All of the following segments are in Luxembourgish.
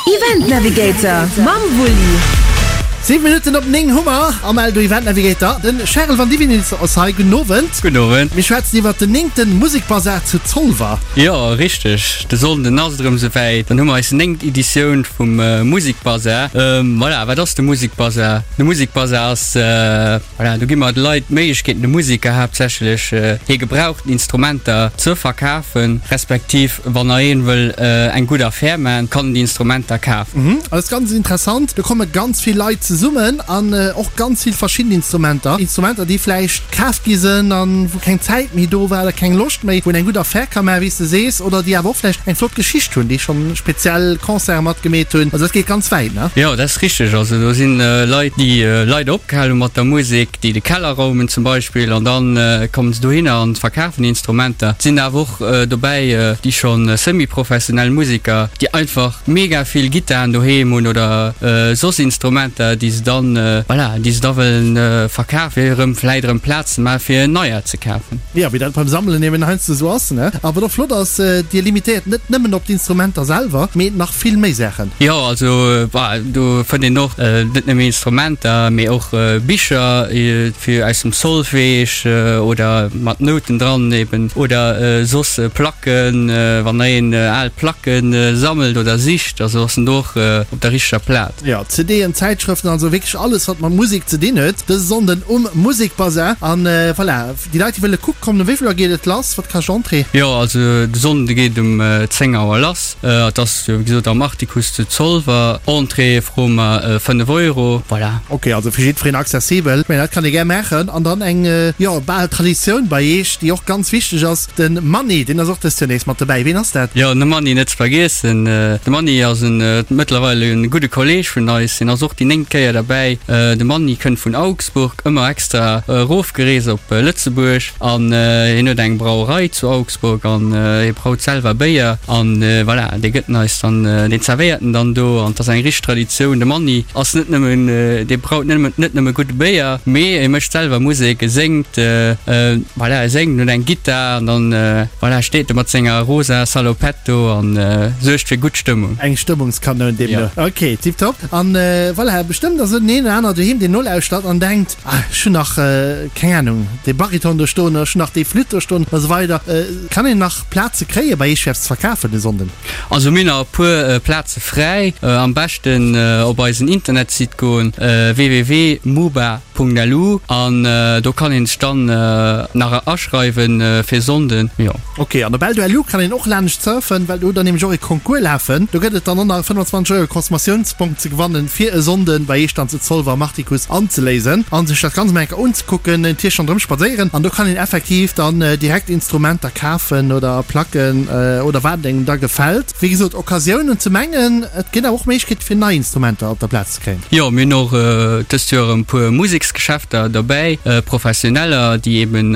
Event Navigator mam Wulli. 7 Minutten op 9 hu mer am Eldo Event Navigator. Den Charel Vandivinits ass hei. Gudden Owend. Gudden Owend. Mir schwätzen iwwert den néngten Musekbasar zu Zolwer. Jo, richteg. De Sonnden ass et erëm souwäit. Dann hu mer eis néngt Editioun vum Musekbasar. Voilà, wat ass de Musekbasar? De Musekbasar ass, voilà, do gi mer de Leit d'Méiglechkeet, de Museker haaptsächlech, hir gebrauchten Instrumenter ze verkafen, respektiv Wann nach een wëll eng gutt Affär man, kann en déi Instrumenter kafen. Mhm, ass ganz interessant. Do komme ganz vill Leit zesummen an och ganz vill verschidden Instrumenter. Instrumenter, déi vläicht kaf gi sënn an wou keng Zäit méi do war oder keng Loscht méi, wou een eng gutt Affär ka man, wéi s de sees, oder déi awer och vläicht eng flott Geschicht hunn, déi schonn speziell Concerte matgemeet hunn. Also dat geet ganz wäit, ne? Jo, dat ass richteg. Also do sinn Leit, déi leider opgehal hu mat der Musek, déi de Keller raumen zum Beispill an dann kommen se dohinner an verkafen déi Instrumenter. Et sinn awer och dobäi déi scho semi-professionell Museker, déi einfach mega vill Gittaren doheem hunn oder soss Instrumenter, déi se dann, voilà, déi se da wëllen verkafen, fir erëm vläit erëm Plaz ze maachen, fir neier ze kafen. Jo, wéi dat beim Sammelen eben heiansdo esou ass, ne? A wat och flott ass, Dir limitéiert net nëmmen op d'Instrumenter selwer, mee nach vill méi Saachen. Jo, also do fënnt een och net nëmme Instrumenter, mee och Bicher fir aus dem Solfège oder mat Nouten dran eben oder soss Placken, wann der een al Placke sammelt oder sicht, also ass en do och op der richteger Plaz. Jo, CDen, Zäitschrëften, also wierklech alles wat mat Musek ze dinn huet, dëse Sonnden um Musekbasar. An voilà, déi Leit déi wëlle kucke kommen, um wéi vill Auer geet et lass? Wat kascht Entrée? Jo, also de Sonnde geet um 10 Auer lass. Et ass wéi gesot am Artikuss zu Zolwer. Entrée froe mer 5 Euro. Voilà. Ok, also fir jiddwereen accessibel. Ech mengen, dat kann ee gär maachen. An dann eng, jo, bal Traditioun bei Eech, déi och ganz wichteg ass, de Manni, deen ass och dëst Joer nees mat dobäi. Ween ass dat? Jo, de Manni net ze vergiessen. De Manni ass en mëttlerweil e gudde Kolleeg vun eis. Hien ass och déi néngt Kéier derbäi. De Manni kënnt vun Augsburg, ëmmer extra erofgereest op Lëtzebuerg. An hien huet eng Brauerei zu Augsburg an hie braut selwer Béier an voilà, dee gëtt en eis dann, deen zerwéiert en dann do an et ass eng richteg Traditioun. De Manni ass net nëmmen, dee braut net nëmmen, net nëmme gudde Béier, mee e mécht selwer Musek, e séngt, voilà, e séngt, en huet eng Gittar an dann, voilà, steet e mat senger rosa Salopette do an suergt fir gutt Stëmmung. Eng Stëmmungskanoun deemno. Ok, tiptop. An voilà, bestëmmt ass en een oder aner doheem, deen nolauschtert an denkt, Ah, ech hunn nach, keng Ahnung, dee Bariton do stoen, ech hunn nach déi Flütt do stoen a sou weider. Kann een nach Plaze kréie bei Iech fir eppes ze verkafen de Sonnden? Also mir hunn nach e puer Plaze fräi. Am beschten op eisen Internetsite goen, www.muba.lu, an do kann een sech dann nach aschreiwen fir Sonnden, jo. Ok, an op Eldo.lu kann een och laanescht surfen, well do hutt der nämlech och e Concours lafen. Do gëtt et dann och nach e 25 Euro Consommatiounsbong ze gewannen, fir e Sonnden bei Eech dann zu Zolwer am Artikuss anzeléisen an sech dat Ganzt mol eng Kéier unzekucken, en Tierchen ronderëm spadséieren. An do kann een effektiv dann direkt Instrumenter kafen oder Placken oder wat engem da gefält. Wéi gesot, Occasiounen ze mengen, et ginn awer och Méiglechkeete fir nei Instrumenter op der Plaz ze kréien. Jo, mir hunn och dëst Joer e puer Museksgeschäfter derbäi, Professioneller, déi eben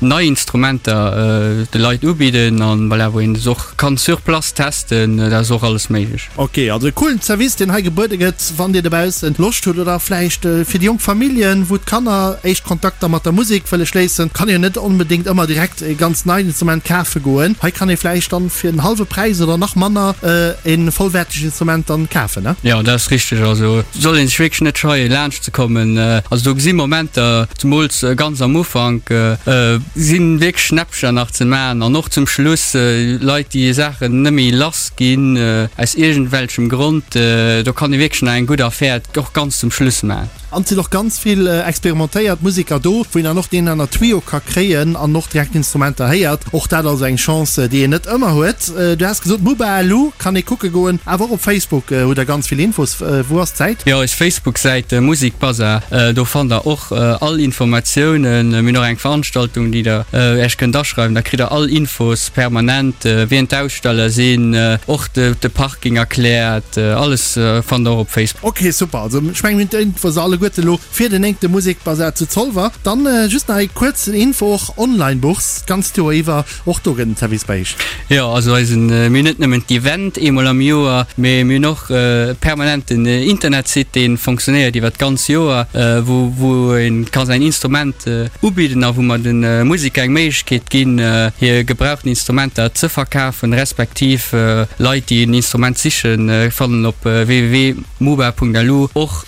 nei Instrumenter de Leit ubidden an voilà, wou een se och kann sur place testen, dat ass och alles méiglech. Ok, also e coolen Service, deen hei gebuede gëtt, wann dir dobaussen Loscht hutt oder vläicht fir déi jonk Familljen, wou d'Kanner éischt Kontakter mat der Musek wëlle schléissen, kann een jo net onbedéngt ëmmer direkt e ganz neit Instrument kafe goen. Hei kann ee vläicht dann fir den hallwe Präis oder nach manner e vollwäertegt Instrument dann kafen, ne? Jo, dat ass richteg. Also soll een sech wierklech net scheien laanscht ze kommen. Also do gesi Momenter, zemools ganz am Ufank, si wierklech Schnäppcher nach ze maachen an och zum Schluss Leit déi Saachen net méi lass ginn aus iergendwelchem Grond, do kann ee wierklech nach eng gutt Affär och ganz zum Schluss maachen. An et sinn och ganz vill experimentéiert Museker do, wou een dann och deen aner Tuyau ka kréien an och direkt Instrumenter héiert. Och dat also eng Chance, déi een net ëmmer huet. Du has gesot, Mubalu kann ee kucke goen, awer och op Facebook hutt der ganz vill Infos. Wou ass d'Säit? Jo, eis Facebook-Säit Musikbazar, do fannt der och all Informatiounen. Mir hunn och eng Veranstaltung, déi der Iech kënnt aschreiwen, da kritt der all Infos permanent, wien d'Aussteller sinn, och de Parking erkläert, alles fannt der och op Facebook. Ok, super. Also ech mengen mir hunn d'Infos alleguerten. alleguerte elo fir den néngte Musekbasar zu Zolwer. Dann just nach eng kuerz Info, och Online-Bourse d'ganzt Joer iwwer, och do gëtt en Service bei iech. Jo, also eisen, mir hunn net nëmmen d'Event eemol am Joer, mee mir hunn och e permanenten Internetsite, dee fonctionnéiert iwwer d'ganz Joer, wou wou ee ka säin Instrument ubidden a wou mer de Museker eng Méiglechkeet ginn, hir gebrauchten Instrumenter ze verkafen, respektiv Leit, déi en Instrument sichen, fannen op www.muba.lu och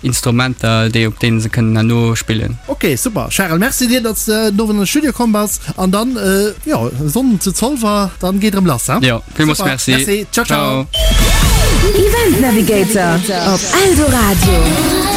Instrumenter, déi op deene se kënnen herno spillen. Ok, super Charel, merci dir, datt s de den Owend an de Studio komm bass an dann, jo, e Sonnden zu Zolwer, dann geet erëm lass, he? Jo, villmools merci. Merci, ciao ciao. Event Navigator op Eldoradio.